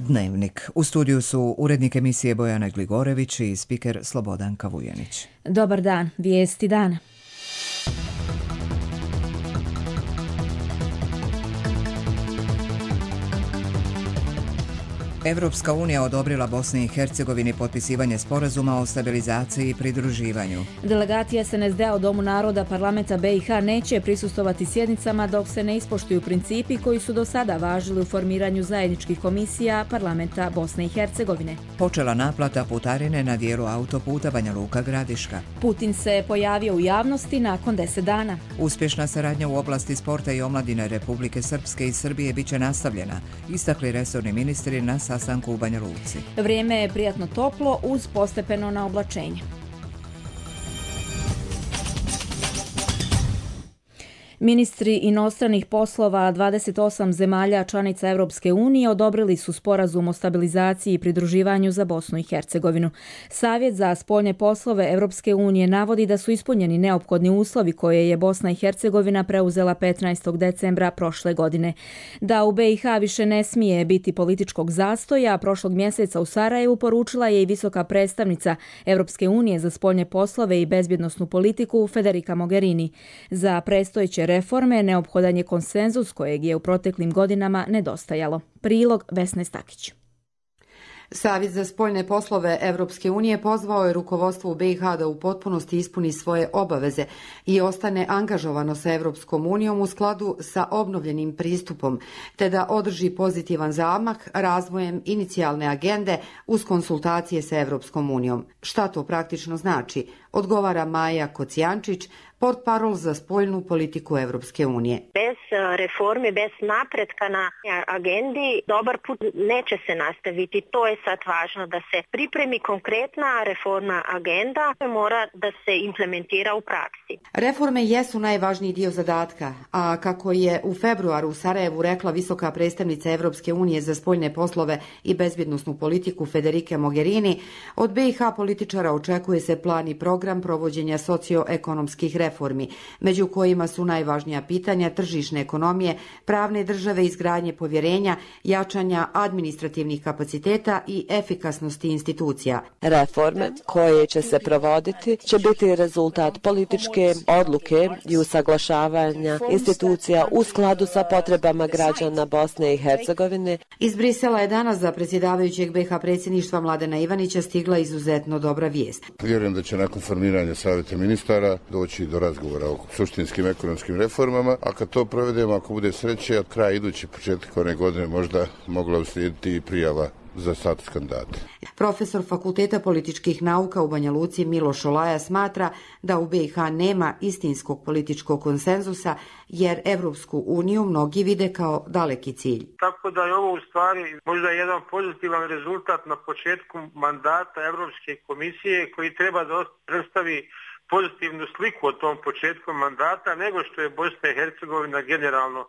Dnevnik. U studiju su urednik emisije Bojana Gligorević i spiker Slobodan Kavujanić. Dobar dan, vijesti dana. Evropska unija odobrila Bosni i Hercegovini potpisivanje sporazuma o stabilizaciji i pridruživanju. Delegacija SNSD-a u Domu naroda parlamenta BiH neće prisustvovati sjednicama dok se ne ispoštuju principi koji su do sada važili u formiranju zajedničkih komisija parlamenta Bosne i Hercegovine. Počela naplata putarine na dijelu autoputa Banja Luka-Gradiška. Putin se pojavio u javnosti nakon 10 dana. Uspješna saradnja u oblasti sporta i omladine Republike Srpske i Srbije biće nastavljena, istakli resorni ministri na sastanku u Banja Luci. Vrijeme je prijatno toplo uz postepeno naoblačenje. Ministri inostranih poslova 28 zemalja članica Europske unije odobrili su sporazum o stabilizaciji i pridruživanju za Bosnu i Hercegovinu. Savjet za spoljne poslove Europske unije navodi da su ispunjeni neophodni uslovi koje je Bosna i Hercegovina preuzela 15. decembra prošle godine. Da u BiH više ne smije biti političkog zastoja, prošlog mjeseca u Sarajevu poručila je i visoka predstavnica Europske unije za spoljne poslove i bezbjednosnu politiku Federica Mogherini. Za predstojeće reforme neophodan je konsenzus kojeg je u proteklim godinama nedostajalo. Prilog Vesne Stakić. Savjet za spoljne poslove Evropske unije pozvao je rukovodstvo u BiH da u potpunosti ispuni svoje obaveze i ostane angažovano sa Evropskom unijom u skladu sa obnovljenim pristupom, te da održi pozitivan zamah razvojem inicijalne agende uz konsultacije sa Evropskom unijom. Šta to praktično znači? Odgovara Maja Kocijančić, portparol za spoljnu politiku Evropske unije. Bez reformi, bez napretka na agendi, dobar put neće se nastaviti. To je sad važno da se pripremi konkretna reformna agenda, mora da se implementira u praksi. Reforme jesu najvažniji dio zadatka, a kako je u februaru u Sarajevu rekla visoka predstavnica Evropske unije za spoljne poslove i bezbjednosnu politiku Federica Mogherini, od BiH političara očekuje se plan i program provođenja socioekonomskih reformi, među kojima su najvažnija pitanja tržišne ekonomije, pravne države, izgradnje povjerenja, jačanja administrativnih kapaciteta i efikasnosti institucija. Reforme koje će se provoditi će biti rezultat političke odluke i usaglašavanja institucija u skladu sa potrebama građana Bosne i Hercegovine. Iz Brisela je danas za predsjedavajućeg BiH predsjedništva Mladena Ivanića stigla izuzetno dobra vijest. Vjerujem da će nakon formiranja savjeta ministara doći do razgovora o suštinskim ekonomskim reformama, a kad to provedemo, ako bude sreće, od kraja iduće početak one godine možda mogla uslijediti i prijava za status kandidata. Profesor Fakulteta političkih nauka u Banja Luci Miloš Šolaja smatra da u BiH nema istinskog političkog konsenzusa jer Evropsku uniju mnogi vide kao daleki cilj. Tako da je ovo u stvari možda jedan pozitivan rezultat na početku mandata Evropske komisije koji treba da predstavi pozitivnu sliku o tom početku mandata nego što je Bosna i Hercegovina generalno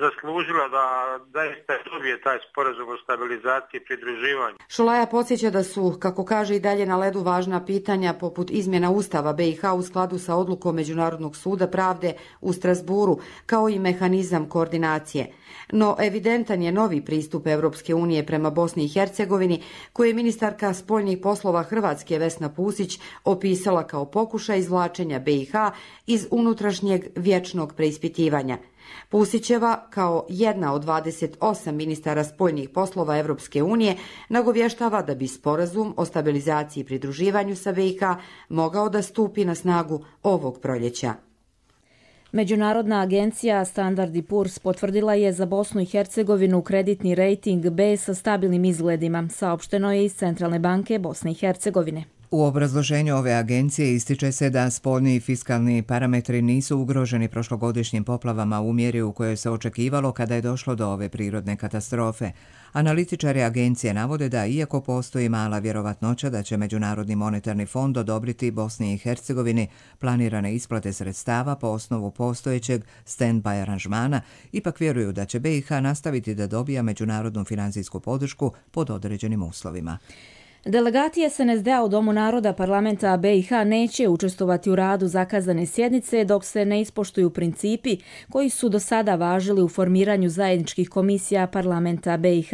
zaslužila da zaista dobije taj sporazum o stabilizaciji i pridruživanju. Šolaja podsjeća da su, kako kaže, i dalje na ledu važna pitanja poput izmjena Ustava BiH u skladu sa odlukom Međunarodnog suda pravde u Strasburu, kao i mehanizam koordinacije. No evidentan je novi pristup Evropske unije prema Bosni i Hercegovini, koji je ministarka spoljnih poslova Hrvatske Vesna Pusić opisala kao pokušaj izvlačenja BiH iz unutrašnjeg vječnog preispitivanja. Pusićeva, kao jedna od 28 ministara spoljnih poslova Evropske unije, nagovještava da bi sporazum o stabilizaciji i pridruživanju sa BiH mogao da stupi na snagu ovog proljeća. Međunarodna agencija Standard & Poor's potvrdila je za Bosnu i Hercegovinu kreditni rejting B sa stabilnim izgledima, saopšteno je iz Centralne banke Bosne i Hercegovine. U obrazloženju ove agencije ističe se da spoljni i fiskalni parametri nisu ugroženi prošlogodišnjim poplavama u mjeri u kojoj se očekivalo kada je došlo do ove prirodne katastrofe. Analitičari agencije navode da, iako postoji mala vjerovatnoća da će Međunarodni monetarni fond odobriti Bosni i Hercegovini planirane isplate sredstava po osnovu postojećeg stand-by aranžmana, ipak vjeruju da će BiH nastaviti da dobija međunarodnu financijsku podršku pod određenim uslovima. Delegati SNSD-a u Domu naroda parlamenta BiH neće učestvovati u radu zakazane sjednice dok se ne ispoštuju principi koji su do sada važili u formiranju zajedničkih komisija parlamenta BiH.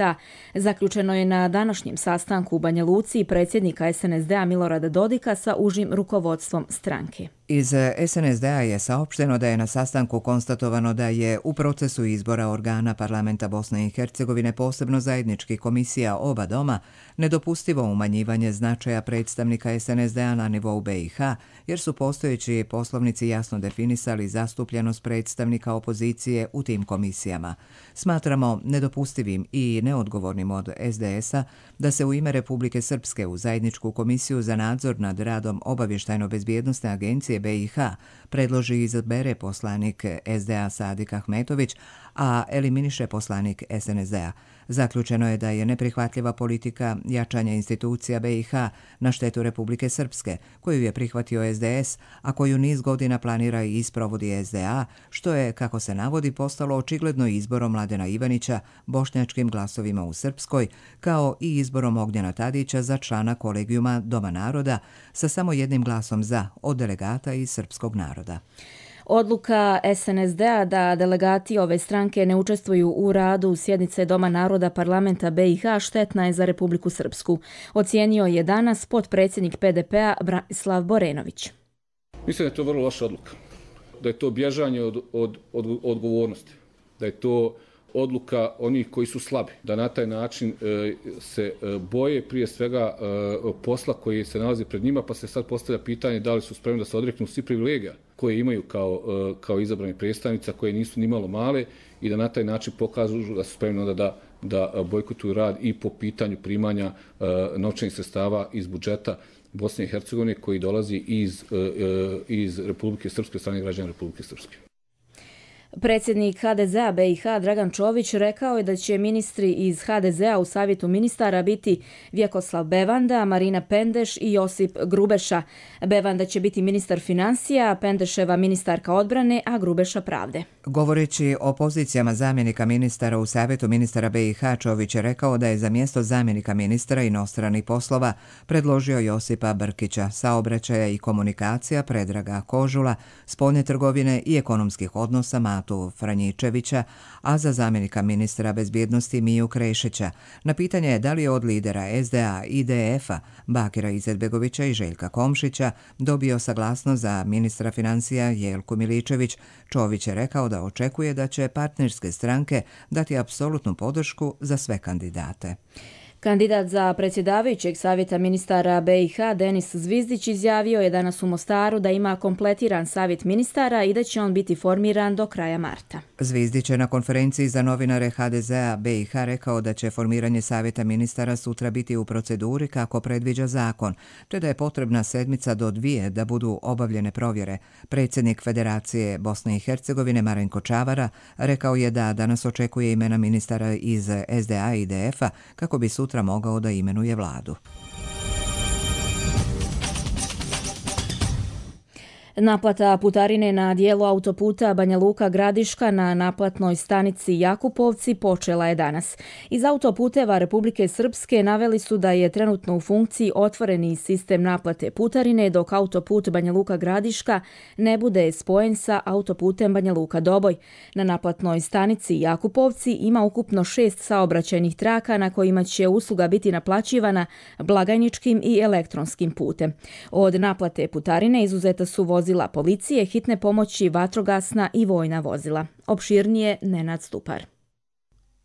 Zaključeno je na današnjem sastanku u Banja Luci predsjednika SNSD-a Milorada Dodika sa užim rukovodstvom stranke. Iz SNSD-a je saopšteno da je na sastanku konstatovano da je u procesu izbora organa parlamenta Bosne i Hercegovine, posebno zajedničkih komisija oba doma, nedopustivo umanjivanje značaja predstavnika SNSD-a na nivou BiH, jer su postojeći poslovnici jasno definisali zastupljenost predstavnika opozicije u tim komisijama. Smatramo nedopustivim i neodgovornim od SDS-a da se u ime Republike Srpske u zajedničku komisiju za nadzor nad radom obavještajno-bezbjednosne agencije BiH predloži i izabere poslanik SDA Sadik Ahmetović, a eliminiše poslanik SNSD-a. Zaključeno je da je neprihvatljiva politika jačanja institucija BiH na štetu Republike Srpske, koju je prihvatio SDS, a koju niz godina planira i isprovodi SDA, što je, kako se navodi, postalo očigledno izborom Mladena Ivanića bošnjačkim glasovima u Srpskoj, kao i izborom Ognjena Tadića za člana kolegijuma Doma naroda sa samo jednim glasom za od delegata iz srpskog naroda. Odluka SNSD-a da delegati ove stranke ne učestvuju u radu sjednice Doma naroda parlamenta BiH štetna je za Republiku Srpsku. Ocijenio je danas potpredsjednik PDP-a Branislav Borenović. Mislim da je to vrlo loša odluka. Da je to bježanje od odgovornosti. Da je to odluka onih koji su slabi. Da na taj način se boje prije svega posla koji se nalazi pred njima, pa se sad postavlja pitanje da li su spremni da se odreknu svi privilegija koje imaju kao izabrani predstavnica, koje nisu ni malo male, i da na taj način pokažu da su spremni onda da bojkotuju rad i po pitanju primanja novčanih sredstava iz budžeta Bosne i Hercegovine koji dolazi iz Republike Srpske, strane građana Republike Srpske. Predsjednik HDZ-a BiH Dragan Čović rekao je da će ministri iz HDZ-a u savjetu ministara biti Vjekoslav Bevanda, Marina Pendeš i Josip Grubeša. Bevanda će biti ministar financija, Pendeševa ministarka odbrane, a Grubeša pravde. Govoreći o pozicijama zamjenika ministara u savjetu ministara BiH, Čović je rekao da je za mjesto zamjenika ministra inostranih poslova predložio Josipa Brkića, saobraćaja i komunikacija Predraga Kožula, spoljne trgovine i ekonomskih odnosa Matu Franjičevića, a za zamjenika ministra bezbjednosti Miju Krešića. Na pitanje je da li je od lidera SDA i IDF-a Bakira Izetbegovića i Željka Komšića dobio saglasnost za ministra financija Jelku Miličević, Čović je rekao da očekuje da će partnerske stranke dati apsolutnu podršku za sve kandidate. Kandidat za predsjedavajućeg savjeta ministara BiH Denis Zvizdić izjavio je danas u Mostaru da ima kompletiran savjet ministara i da će on biti formiran do kraja marta. Zvizdić je na konferenciji za novinare HDZ-a BiH rekao da će formiranje savjeta ministara sutra biti u proceduri kako predviđa zakon, te da je potrebna sedmica do 2 da budu obavljene provjere. Predsjednik Federacije Bosne i Hercegovine Marenko Čavara rekao je da danas očekuje imena ministara iz SDA i IDF-a kako bi sutra mogao da imenuje vladu. Naplata putarine na dijelu autoputa Banja Luka-Gradiška na naplatnoj stanici Jakupovci počela je danas. Iz autoputeva Republike Srpske naveli su da je trenutno u funkciji otvoreni sistem naplate putarine, dok autoput Banja Luka-Gradiška ne bude spojen sa autoputem Banja Luka-Doboj. Na naplatnoj stanici Jakupovci ima ukupno 6 saobraćajnih traka na kojima će usluga biti naplaćivana blagajničkim i elektronskim putem. Od naplate putarine izuzeta su vozila policije, hitne pomoći, vatrogasna i vojna vozila. Opširnije Nenad Stupar.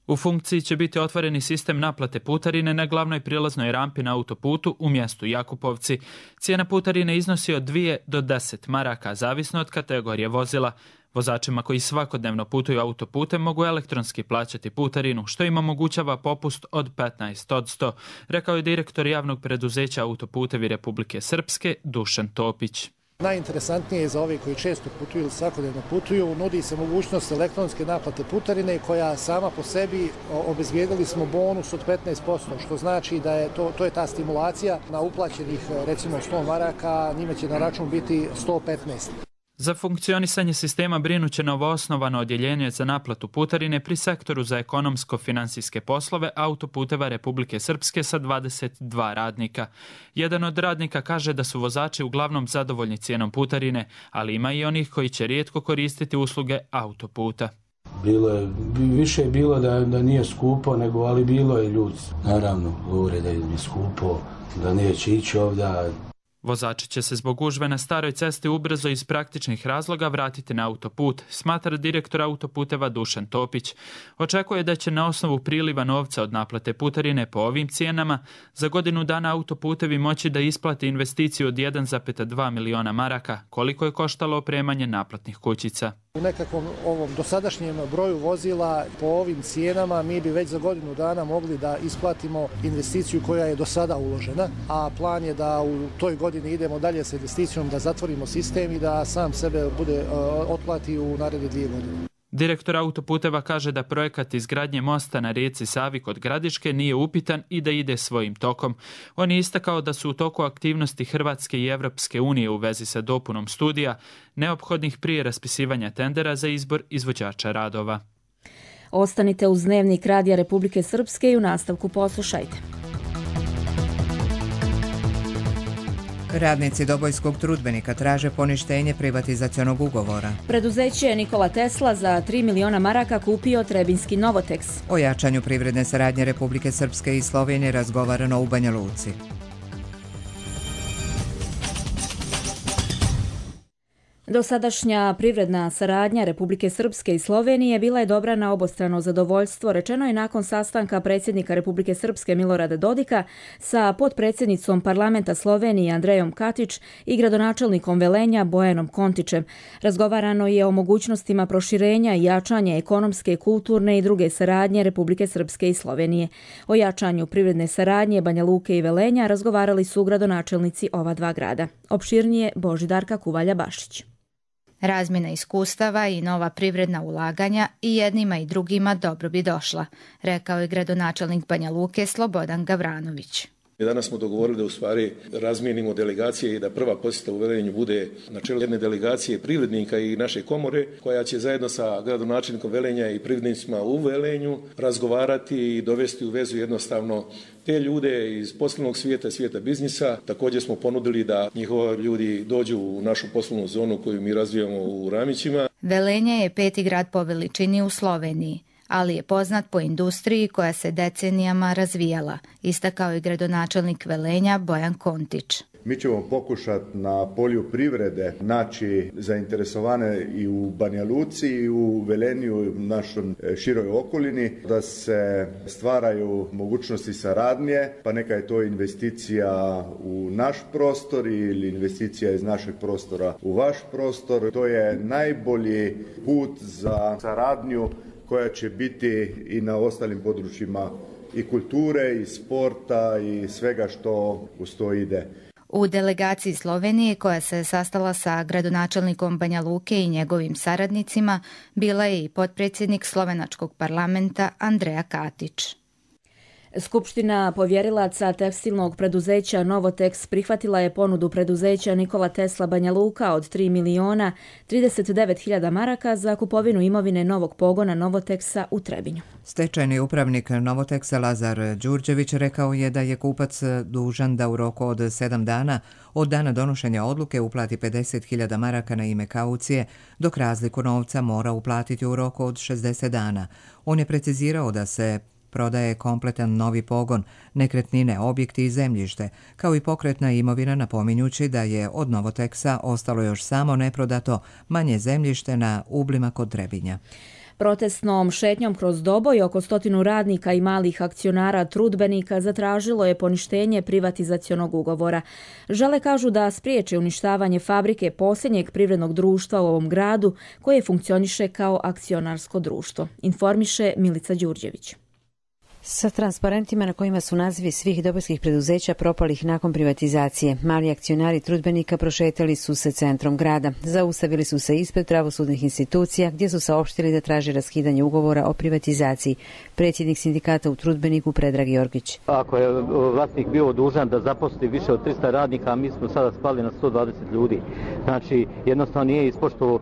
U funkciji će biti otvoreni sistem naplate putarine na glavnoj prilaznoj rampi na autoputu u mjestu Jakupovci. Cijena putarine iznosi od 2 do 10 maraka, zavisno od kategorije vozila. Vozačima koji svakodnevno putuju autoputem mogu elektronski plaćati putarinu, što im omogućava popust od 15%, rekao je direktor javnog preduzeća Autoputevi Republike Srpske Dušan Topić. Najinteresantnije je za ove koji često putuju ili svakodnevno putuju, nudi se mogućnost elektronske naplate putarine koja sama po sebi obezbijedili smo bonus od 15%, što znači da je to je ta stimulacija na uplaćenih recimo 100 maraka, njima će na račun biti 115. Za funkcionisanje sistema brinuće novoosnovano odjeljenje za naplatu putarine pri sektoru za ekonomsko-financijske poslove Autoputeva Republike Srpske sa 22 radnika. Jedan od radnika kaže da su vozači uglavnom zadovoljni cijenom putarine, ali ima i onih koji će rijetko koristiti usluge autoputa. Više je bilo da nije skupo, ali bilo je ljudi. Naravno, govore da je skupo, da neće ići ovdje. Vozači će se zbog gužve na staroj cesti ubrzo iz praktičnih razloga vratiti na autoput, smatra direktor Autoputeva Dušan Topić. Očekuje da će na osnovu priliva novca od naplate putarine po ovim cijenama za godinu dana Autoputevi moći da isplati investiciju od 1,2 miliona maraka, koliko je koštalo opremanje naplatnih kućica. U nekakvom ovom dosadašnjem broju vozila po ovim cijenama mi bi već za godinu dana mogli da isplatimo investiciju koja je do sada uložena, a plan je da u toj godini idemo dalje sa investicijom, da zatvorimo sistem i da sam sebe otplati u naredne 2 godine. Direktor Autoputeva kaže da projekat izgradnje mosta na rijeci Savi kod Gradiške nije upitan i da ide svojim tokom. On je istakao da su u toku aktivnosti Hrvatske i Evropske unije u vezi sa dopunom studija, neophodnih prije raspisivanja tendera za izbor izvođača radova. Ostanite uz Dnevnik Radija Republike Srpske i u nastavku poslušajte. Radnici Dobojskog trudbenika traže poništenje privatizacionog ugovora. Preduzeće Nikola Tesla za 3 miliona maraka kupio trebinski Novoteks. O jačanju privredne saradnje Republike Srpske i Slovenije razgovarano u Banja Luci. Dosadašnja privredna saradnja Republike Srpske i Slovenije bila je dobra na obostrano zadovoljstvo, rečeno je nakon sastanka predsjednika Republike Srpske Milorada Dodika sa potpredsjednicom parlamenta Slovenije Andrejom Katić i gradonačelnikom Velenja Bojanom Kontićem. Razgovarano je o mogućnostima proširenja i jačanja ekonomske, kulturne i druge saradnje Republike Srpske i Slovenije. O jačanju privredne saradnje Banja Luke i Velenja razgovarali su gradonačelnici ova dva grada. Opširnije Božidarka Kuvalja-Bašić. Razmjena iskustava i nova privredna ulaganja i jednima i drugima dobro bi došla, rekao je gradonačelnik Banja Luke Slobodan Gavranović. Danas smo dogovorili da u stvari razmijenimo delegacije i da prva posjeta u Velenju bude na čelu jedne delegacije privrednika i naše komore koja će zajedno sa gradonačelnikom Velenja i privrednicima u Velenju razgovarati i dovesti u vezu jednostavno te ljude iz poslovnog svijeta, svijeta biznisa. Također smo ponudili da njihovi ljudi dođu u našu poslovnu zonu koju mi razvijamo u Ramićima. Velenje je 5. grad po veličini u Sloveniji, ali je poznat po industriji koja se decenijama razvijala, istakao je gradonačelnik Velenja Bojan Kontić. Mi ćemo pokušati na polju privrede naći zainteresovane i u Banja Luci i u Velenju i u našoj široj okolini da se stvaraju mogućnosti saradnje, pa neka je to investicija u naš prostor ili investicija iz našeg prostora u vaš prostor. To je najbolji put za saradnju koja će biti i na ostalim područjima i kulture i sporta i svega što uz to ide. U delegaciji Slovenije koja se sastala sa gradonačelnikom Banja Luke i njegovim saradnicima bila je i potpredsjednik slovenačkog parlamenta Andreja Katić. Skupština povjerilaca tekstilnog preduzeća Novoteks prihvatila je ponudu preduzeća Nikola Tesla Banja Luka od 3 miliona 39 hiljada maraka za kupovinu imovine novog pogona Novoteksa u Trebinju. Stečajni upravnik Novoteksa Lazar Đurđević rekao je da je kupac dužan da u roku od 7 dana od dana donošenja odluke uplati 50 hiljada maraka na ime kaucije, dok razliku novca mora uplatiti u roku od 60 dana. On je precizirao da se prodaje kompletan novi pogon, nekretnine, objekti i zemljište, kao i pokretna imovina, napominjući da je od Novoteksa ostalo još samo neprodato manje zemljište na Ublima kod Trebinja. Protestnom šetnjom kroz Doboj oko 100 radnika i malih akcionara trudbenika zatražilo je poništenje privatizacionog ugovora. Žale kažu da spriječe uništavanje fabrike posljednjeg privrednog društva u ovom gradu koje funkcioniše kao akcionarsko društvo, informiše Milica Đurđević. Sa transparentima na kojima su nazivi svih dobojskih preduzeća propalih nakon privatizacije. Mali akcionari trudbenika prošetali su se centrom grada. Zaustavili su se ispred pravosudnih institucija gdje su saopštili da traže raskidanje ugovora o privatizaciji. Predsjednik sindikata u trudbeniku Predrag Jorgić. Ako je vlasnik bio dužan da zaposli više od 300 radnika, a mi smo sada spali na 120 ljudi. Znači, jednostavno nije ispoštovao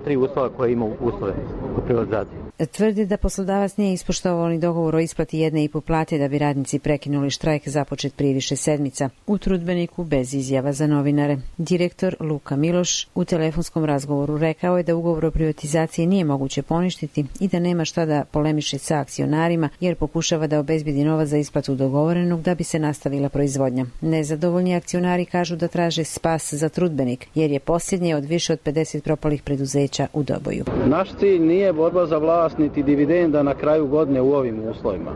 tri uslova koje ima uslove u privatizaciji. Tvrdi da poslodavac nije ispoštovao ni dogovor o isplati 1,5 plate da bi radnici prekinuli štrajk započet prije više sedmica. U trudbeniku bez izjava za novinare. Direktor Luka Miloš u telefonskom razgovoru rekao je da ugovor o privatizaciji nije moguće poništiti i da nema šta da polemiše sa akcionarima jer pokušava da obezbedi novac za isplatu dogovorenog da bi se nastavila proizvodnja. Nezadovoljni akcionari kažu da traže spas za trudbenik jer je posljednji od više od 50 propalih preduzeća u Doboju. Naš cilj nije borba za vlast niti dividenda na kraju godine u ovim uslovima.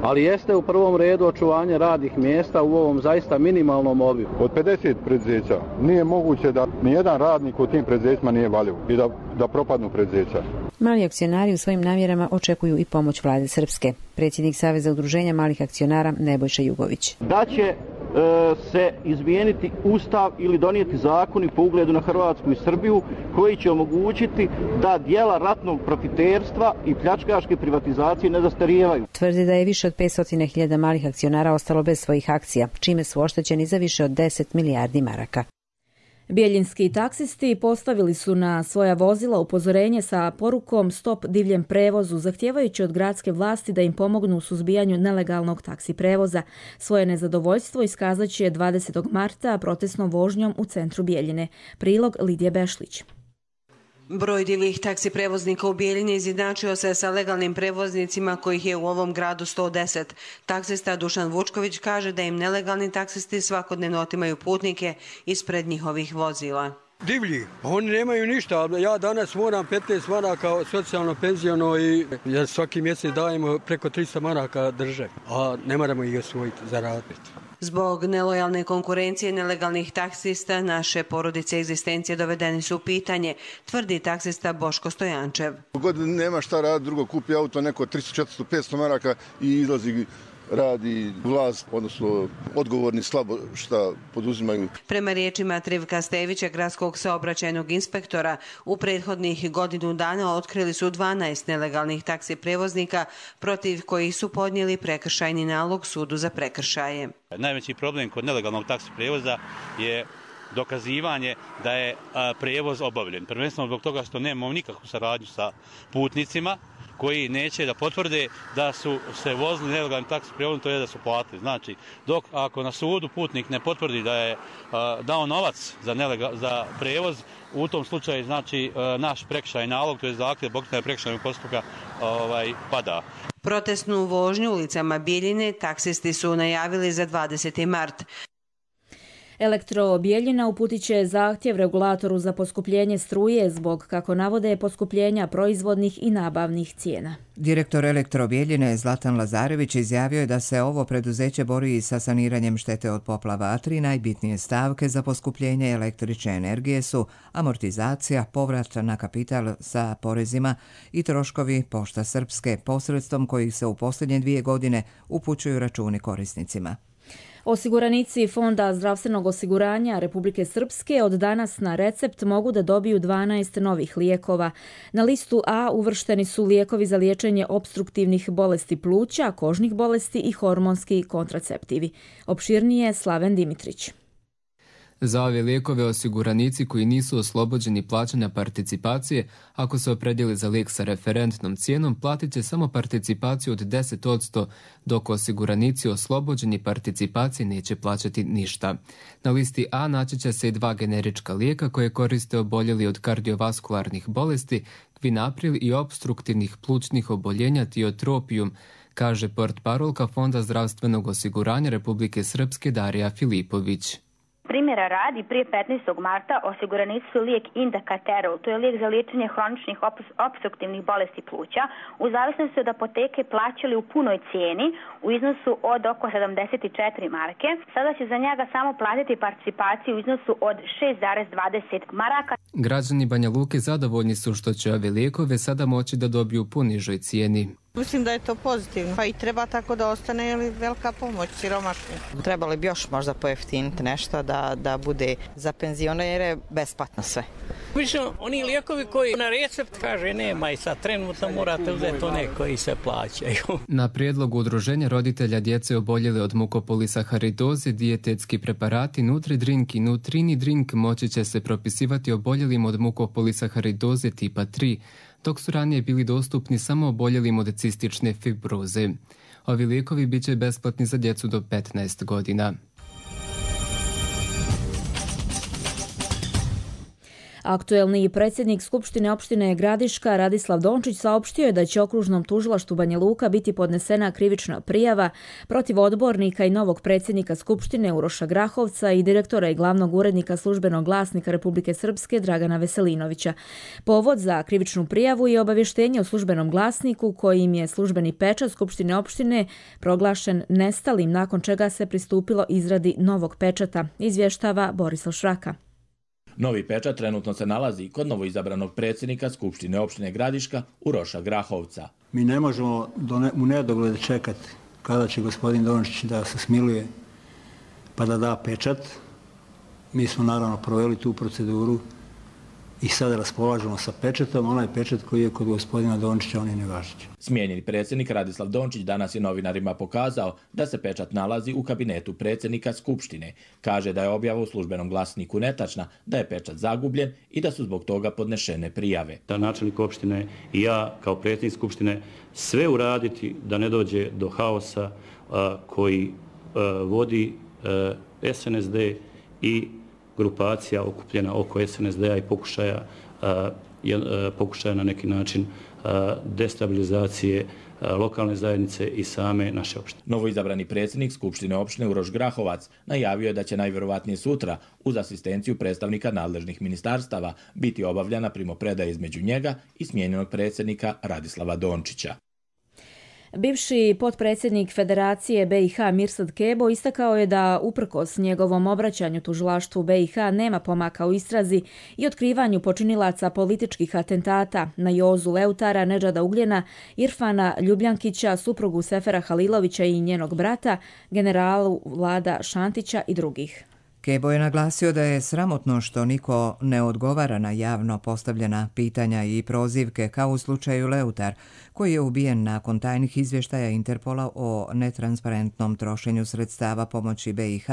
Ali jeste u prvom redu očuvanje radnih mjesta u ovom zaista minimalnom obimu. Od 50 preduzeća nije moguće da nijedan radnik u tim preduzećima nije valjiv i da propadnu preduzeća. Mali akcionari u svojim namjerama očekuju i pomoć vlade Srpske. Predsjednik Saveza udruženja malih akcionara Nebojša Jugović. Da će se izmijeniti ustav ili donijeti zakoni po ugledu na Hrvatsku i Srbiju koji će omogućiti da djela ratnog profiterstva i pljačkaške privatizacije ne zastarijevaju. Tvrdi da je više od 500.000 malih akcionara ostalo bez svojih akcija, čime su oštećeni za više od 10 milijardi maraka. Bijeljinski taksisti postavili su na svoja vozila upozorenje sa porukom stop divljem prevozu, zahtijevajući od gradske vlasti da im pomognu u suzbijanju nelegalnog taksi prevoza. Svoje nezadovoljstvo iskazat će 20. marta protestnom vožnjom u centru Bijeljine. Prilog Lidije Bešlić. Broj divljih taksi prevoznika u Bijeljini izjednačio se sa legalnim prevoznicima kojih je u ovom gradu 110. Taksista Dušan Vučković kaže da im nelegalni taksisti svakodnevno otimaju putnike ispred njihovih vozila. Divlji, oni nemaju ništa, ja danas moram 15 maraka socijalno penziono i svaki mjesec dajemo preko 300 maraka drže, a ne moramo ih osvojiti, zaraditi. Zbog nelojalne konkurencije nelegalnih taksista naše porodice egzistencije dovedeni su u pitanje, tvrdi taksista Boško Stojančev. God nema šta raditi, drugo kupi auto neko 300, 400, 500 maraka i izlazi radi vlast, odnosno odgovorni slabo šta poduzimaju. Prema riječima Trivka Stevića, gradskog saobraćajnog inspektora, u prethodnih godinu dana otkrili su 12 nelegalnih taksi prevoznika protiv kojih su podnijeli prekršajni nalog sudu za prekršaje. Najveći problem kod nelegalnog taksi prevoza je dokazivanje da je prevoz obavljen. Prvenstveno zbog toga što nemamo nikakvu saradnju sa putnicima koji neće da potvrde da su se vozili nelegalnim taksi prijevozom, to je da su platili. Znači, dok ako na sudu putnik ne potvrdi da je dao novac za prevoz, u tom slučaju znači naš prekršajni nalog, to je zahtjev pokretanja prekršajnog postupka pada. Protestnu vožnju ulicama Bijeljine taksisti su najavili za 20. mart. Elektro Bijeljina uputit će zahtjev regulatoru za poskupljenje struje zbog, kako navode, poskupljenja proizvodnih i nabavnih cijena. Direktor Elektro Bijeljine Zlatan Lazarević izjavio je da se ovo preduzeće bori sa saniranjem štete od poplava, a 3 najbitnije stavke za poskupljenje električne energije su amortizacija, povrat na kapital sa porezima i troškovi Pošta Srpske, posredstvom kojih se u posljednje 2 godine upućuju računi korisnicima. Osiguranici Fonda zdravstvenog osiguranja Republike Srpske od danas na recept mogu da dobiju 12 novih lijekova. Na listu A uvršteni su lijekovi za liječenje opstruktivnih bolesti pluća, kožnih bolesti i hormonski kontraceptivi. Opširnije Slaven Dimitrić. Za ove lijekove osiguranici koji nisu oslobođeni plaćanja participacije, ako se opredijeli za lijek sa referentnom cijenom, platit će samo participaciju od 10%, dok osiguranici oslobođeni participacije neće plaćati ništa. Na listi A naći će se i 2 generička lijeka koje koriste oboljeli od kardiovaskularnih bolesti, kvinapril i opstruktivnih plućnih oboljenja tiotropijum, kaže portparolka Fonda zdravstvenog osiguranja Republike Srpske Darija Filipović. Primjera radi, prije 15. marta osiguranici su lijek Indakaterol, to je lijek za liječenje hroničnih opstruktivnih bolesti pluća, u zavisnosti od apoteke plaćali u punoj cijeni u iznosu od oko 74 marke. Sada će za njega samo platiti participaciju u iznosu od 6,20 maraka. Građani Banja Luke zadovoljni su što će ove lijekove sada moći da dobiju po nižoj cijeni. Mislim da je to pozitivno, pa i treba tako da ostane, jer je velika pomoć siromašnim. Trebalo bi još možda pojeftiniti nešto da bude za penzionere besplatno sve. Obično oni lijekovi koji na recept kaže nema i sad trenutno morate uzeti one koji se plaćaju. Na prijedlog udruženja roditelja djece oboljele od mukopolisaharidoze dijetetski preparati Nutri-Drink i Nutrini-Drink moći će se propisivati oboljelim od mukopolisaharidoze tipa 3, dok su ranije bili dostupni samo oboljelim od cistične fibroze. Ovi lijekovi bit će besplatni za djecu do 15 godina. Aktuelni predsjednik Skupštine opštine Gradiška Radislav Dončić saopštio je da će okružnom tužilaštvu Banja Luka biti podnesena krivična prijava protiv odbornika i novog predsjednika Skupštine Uroša Grahovca i direktora i glavnog urednika Službenog glasnika Republike Srpske Dragana Veselinovića. Povod za krivičnu prijavu je obavještenje u Službenom glasniku kojim je službeni pečat Skupštine opštine proglašen nestalim, nakon čega se pristupilo izradi novog pečata, izvještava Borislav Šraka. Novi pečat trenutno se nalazi kod novoizabranog predsjednika Skupštine opštine Gradiška Uroša Grahovca. Mi ne možemo u nedogled čekati kada će gospodin Dončić da se smiluje pa da da pečat. Mi smo naravno proveli tu proceduru i sada raspolažemo sa pečatom. Onaj pečat koji je kod gospodina Dončića, on je nevažeći. Smijenjeni predsjednik Radislav Dončić danas je novinarima pokazao da se pečat nalazi u kabinetu predsjednika Skupštine. Kaže da je objava u Službenom glasniku netačna, da je pečat zagubljen i da su zbog toga podnešene prijave. Da načelnik opštine i ja kao predsjednik Skupštine sve uraditi da ne dođe do haosa koji vodi SNSD i grupacija okupljena oko SNSD-a i pokušaja na neki način destabilizacije lokalne zajednice i same naše opštine. Novoizabrani predsjednik Skupštine opštine Uroš Grahovac najavio je da će najvjerovatnije sutra uz asistenciju predstavnika nadležnih ministarstava biti obavljana primopredaja između njega i smijenjenog predsjednika Radislava Dončića. Bivši potpredsjednik Federacije BiH Mirsad Kebo istakao je da uprkos njegovom obraćanju tužilaštvu BiH nema pomaka u istrazi i otkrivanju počinilaca političkih atentata na Jozu Leutara, Nedžada Ugljena, Irfana Ljubljankića, suprugu Sefera Halilovića i njenog brata, generalu Vlada Šantića i drugih. Kebo je naglasio da je sramotno što niko ne odgovara na javno postavljena pitanja i prozivke kao u slučaju Leutar, koji je ubijen nakon tajnih izvještaja Interpola o netransparentnom trošenju sredstava pomoći BiH,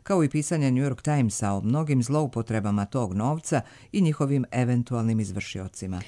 kao i pisanje New York Timesa o mnogim zloupotrebama tog novca i njihovim eventualnim izvršiocima.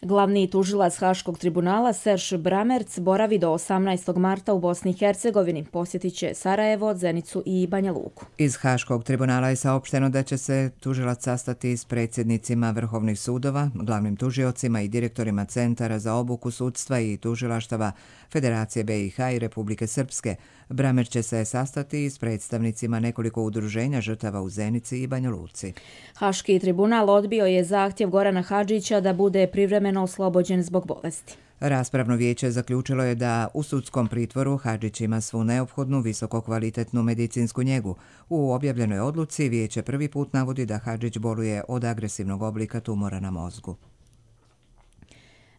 Glavni tužilac Haškog tribunala Serž Bramerc boravi do 18. marta u Bosni i Hercegovini. Posjetit će Sarajevo, Zenicu i Banja Luku. Iz Haškog tribunala je saopšteno da će se tužilac sastati s predsjednicima vrhovnih sudova, glavnim tužiocima i direktorima centara za obuku sudstva i tužilaštava Federacije BiH i Republike Srpske. Bramerc će se sastati s predstavnicima nekoliko udruženja žrtava u Zenici i Banja Luci. Haški tribunal odbio je zahtjev Gorana Hadžića da bude privremeno oslobođen zbog bolesti. Raspravno vijeće zaključilo je da u sudskom pritvoru Hadžić ima svu neophodnu visokokvalitetnu medicinsku njegu. U objavljenoj odluci vijeće prvi put navodi da Hadžić boluje od agresivnog oblika tumora na mozgu.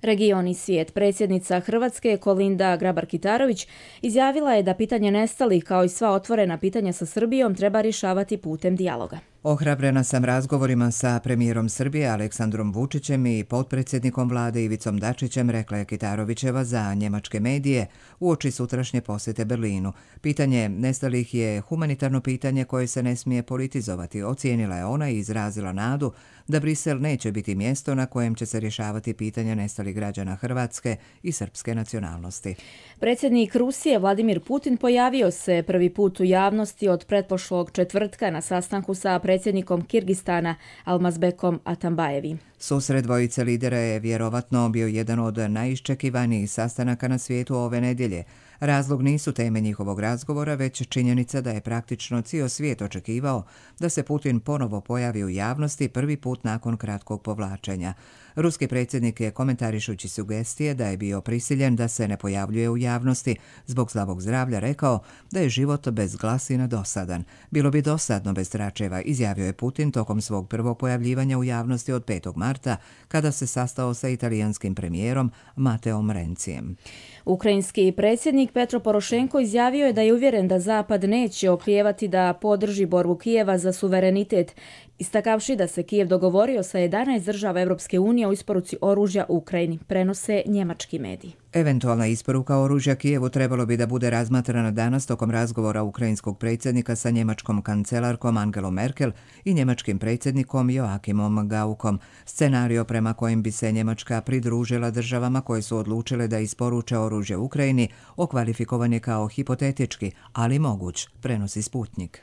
Region i svijet. Predsjednica Hrvatske Kolinda Grabar-Kitarović izjavila je da pitanje nestalih kao i sva otvorena pitanja sa Srbijom treba rješavati putem dijaloga. Ohrabrena sam razgovorima sa premijerom Srbije Aleksandrom Vučićem i potpredsjednikom vlade Ivicom Dačićem, rekla je Kitarovićeva za njemačke medije uoči sutrašnje posjete Berlinu. Pitanje nestalih je humanitarno pitanje koje se ne smije politizovati, ocijenila je ona i izrazila nadu da Brisel neće biti mjesto na kojem će se rješavati pitanja nestalih građana Hrvatske i srpske nacionalnosti. Predsjednik Rusije Vladimir Putin pojavio se prvi put u javnosti od pretprošlog četvrtka na sastanku sa predsjednikom Kirgistana Almazbekom Atambajevi. Susret dvojice lidera je vjerovatno bio jedan od najiščekivanijih sastanaka na svijetu ove nedjelje. Razlog nisu teme njihovog razgovora, već činjenica da je praktično cijel svijet očekivao da se Putin ponovo pojavi u javnosti prvi put nakon kratkog povlačenja. Ruski predsjednik je, komentarišući sugestije da je bio prisiljen da se ne pojavljuje u javnosti zbog slabog zdravlja, rekao da je život bez glasina dosadan. Bilo bi dosadno bez tračeva, izjavio je Putin tokom svog prvog pojavljivanja u javnosti od 5. marta, kada se sastao sa italijanskim premijerom Mateom Rencijem. Ukrajinski predsjednik Petro Porošenko izjavio je da je uvjeren da Zapad neće oklijevati da podrži borbu Kijeva za suverenitet, istakavši da se Kijev dogovorio sa 11 država Europske unije o isporuci oružja Ukrajini, prenose njemački mediji. Eventualna isporuka oružja Kijevu trebalo bi da bude razmatrana danas tokom razgovora ukrajinskog predsjednika sa njemačkom kancelarkom Angelom Merkel i njemačkim predsjednikom Joachimom Gaukom. Scenario prema kojem bi se Njemačka pridružila državama koje su odlučile da isporuče oružje Ukrajini okvalifikovan je kao hipotetički, ali moguć, prenosi Sputnik.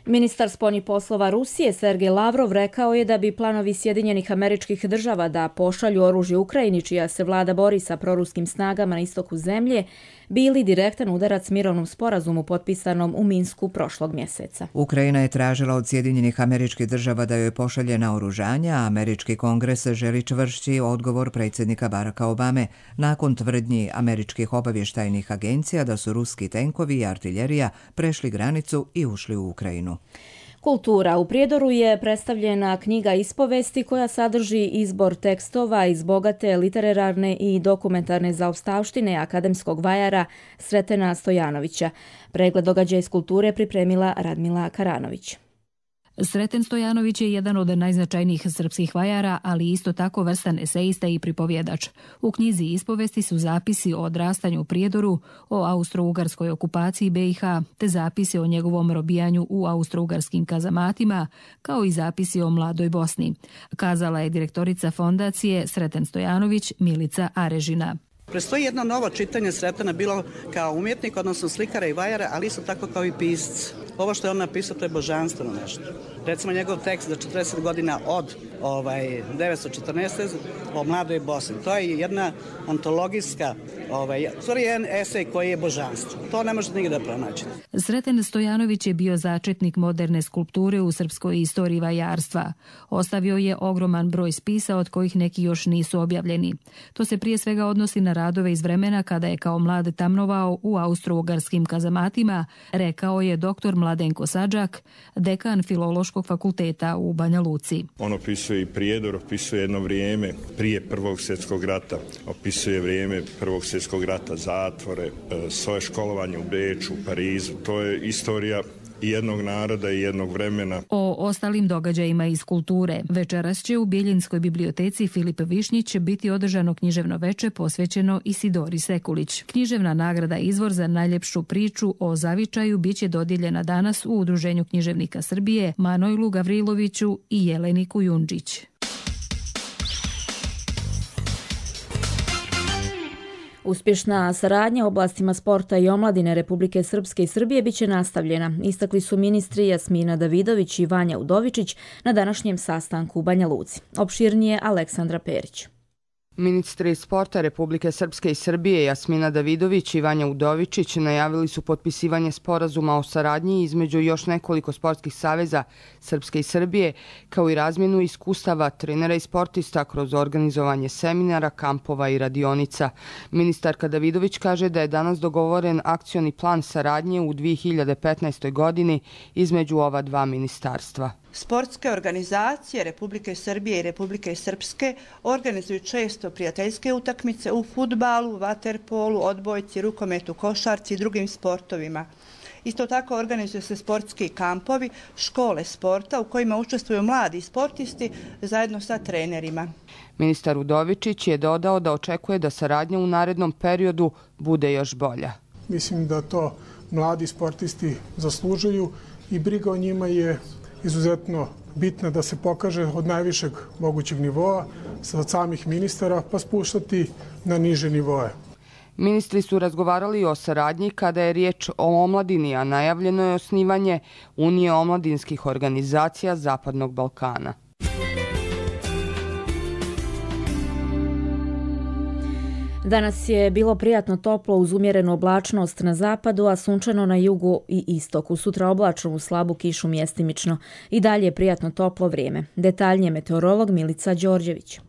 Ministar spoljnih poslova Rusije Sergej Lavrov rekao je da bi planovi Sjedinjenih Američkih Država da pošalju oružje Ukrajini, čija se vlada bori sa proruskim snagama na istoku zemlje, bili direktan udarac mirovnom sporazumu potpisanom u Minsku prošlog mjeseca. Ukrajina je tražila od Sjedinjenih Američkih Država da joj pošalje naoružanja, a Američki kongres želi čvršći odgovor predsjednika Baracka Obame nakon tvrdnji američkih obavještajnih agencija da su ruski tenkovi i artiljerija prešli granicu i ušli u Ukrajinu. Kultura. U Prijedoru je predstavljena knjiga ispovesti koja sadrži izbor tekstova iz bogate literarne i dokumentarne zaostavštine akademskog vajara Sretena Stojanovića. Pregled događaja iz kulture pripremila Radmila Karanović. Sreten Stojanović je jedan od najznačajnijih srpskih vajara, ali isto tako vrstan esejista i pripovjedač. U knjizi ispovesti su zapisi o odrastanju u Prijedoru, o austro-ugarskoj okupaciji BiH, te zapisi o njegovom robijanju u austro-ugarskim kazamatima, kao i zapisi o mladoj Bosni, kazala je direktorica fondacije Sreten Stojanović Milica Arežina. Prestoji jedno novo čitanje Sretena, bilo kao umjetnik, odnosno slikara i vajara, ali isto tako kao i pisac. Ovo što je on napisao, to je božanstveno nešto. Recimo njegov tekst za 40 godina od 914. o mladoj Bosni. To je jedna ontologijska, stvari jedan esej koji je božanstvo. To ne možete nigde da pronađete. Sreten Stojanović je bio začetnik moderne skulpture u srpskoj istoriji vajarstva. Ostavio je ogroman broj spisa od kojih neki još nisu objavljeni. To se prije svega odnosi na radove iz vremena kada je kao mlad tamnovao u austro-ugarskim kazamatima, rekao je dr. Mladenko Sadžak, dekan Filološkog fakulteta u Banja Luci. On opisuje i Prijedor, opisuje jedno vrijeme prije Prvog svjetskog rata, opisuje vrijeme Prvog svjetskog rata, zatvore, svoje školovanje u Beču, Parizu. To je istorija jednog naroda i jednog vremena. O ostalim događajima iz kulture večeras će u Bijeljinskoj biblioteci Filip Višnjić biti održano književno veče posvećeno Isidori Sekulić. Književna nagrada Izvor za najljepšu priču o zavičaju biće dodijeljena danas u Udruženju književnika Srbije Manojlu Gavriloviću i Jeleni Kujundžić. Uspješna saradnja u oblastima sporta i omladine Republike Srpske i Srbije biće nastavljena, istakli su ministri Jasmina Davidović i Vanja Udovičić na današnjem sastanku u Banja Luci. Opširnije Aleksandra Perić. Ministri sporta Republike Srpske i Srbije Jasmina Davidović i Vanja Udovičić najavili su potpisivanje sporazuma o saradnji između još nekoliko sportskih saveza Srpske i Srbije, kao i razmjenu iskustava trenera i sportista kroz organizovanje seminara, kampova i radionica. Ministarka Davidović kaže da je danas dogovoren akcioni plan saradnje u 2015. godini između ova dva ministarstva. Sportske organizacije Republike Srbije i Republike Srpske organizuju često prijateljske utakmice u fudbalu, vaterpolu, odbojci, rukometu, košarci i drugim sportovima. Isto tako organizuju se sportski kampovi, škole sporta u kojima učestvuju mladi sportisti zajedno sa trenerima. Ministar Udovičić je dodao da očekuje da saradnja u narednom periodu bude još bolja. Mislim da to mladi sportisti zaslužuju i briga o njima je izuzetno bitna da se pokaže od najvišeg mogućeg nivoa, od samih ministara, pa spuštati na niže nivoe. Ministri su razgovarali o saradnji kada je riječ o omladini, a najavljeno je osnivanje Unije omladinskih organizacija Zapadnog Balkana. Danas je bilo prijatno toplo uz umjerenu oblačnost na zapadu, a sunčano na jugu i istoku. Sutra oblačno uz slabu kišu mjestimično. I dalje je prijatno toplo vrijeme. Detaljnije meteorolog Milica Đorđević.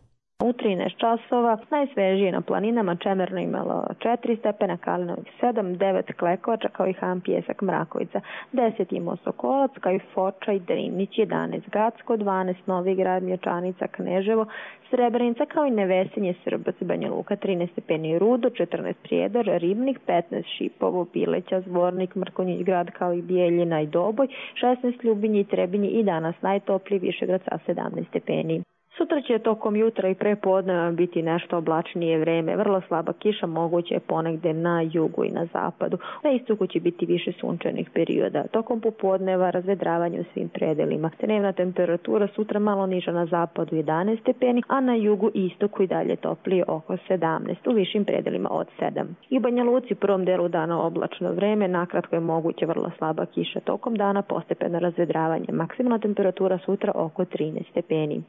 U 13 časova najsvežije na planinama Čemerno imalo 4 stepena, Kalinovih 7, 9 Klekovača kao i Han Pijesak Mrakovica, 10 imao Sokolac kao i Foča i Drinić, 11 Gacko, 12 Novigrad, Mlječanica, Kneževo, Srebrenica kao i Nevesinje, Srbac, Banja Luka, 13 stepeni Rudo, 14 Prijedor, Ribnik, 15 Šipovo, Bileća, Zvornik, Mrkonjić Grad kao i Bijeljina i Doboj, 16 Ljubinje i Trebinje i danas najtopliji Višegrad sa 17 stepeni. Sutra će tokom jutra i prepodneva biti nešto oblačnije vreme, vrlo slaba kiša moguće je ponegde na jugu i na zapadu. Na istoku će biti više sunčanih perioda. Tokom popodneva razvedravanje u svim predelima. Dnevna temperatura sutra malo niža na zapadu 11 stepeni, a na jugu i istoku i dalje toplije oko 17, u višim predelima od 7. I u Banja Luci prvom delu dana oblačno vreme, nakratko je moguće vrlo slaba kiša. Tokom dana postepeno razvedravanje. Maksimalna temperatura sutra oko 13 stepeni.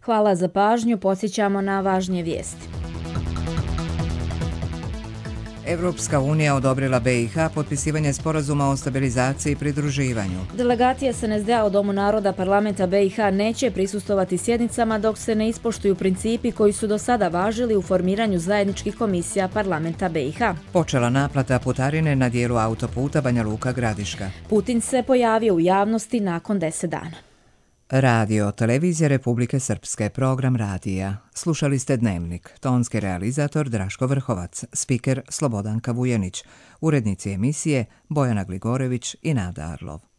Hvala za pažnju, podsjećamo na važnije vijesti. Evropska unija odobrila BiH potpisivanje sporazuma o stabilizaciji i pridruživanju. Delegacija SNSD-a u Domu naroda parlamenta BiH neće prisustovati sjednicama dok se ne ispoštuju principi koji su do sada važili u formiranju zajedničkih komisija parlamenta BiH. Počela naplata putarine na dijelu autoputa Banja Luka-Gradiška. Putin se pojavio u javnosti nakon 10 dana. Radio, televizija Republike Srpske, program radija. Slušali ste Dnevnik, tonski realizator Draško Vrhovac, spiker Slobodanka Vujanić, urednici emisije Bojana Gligorević i Nada Arlov.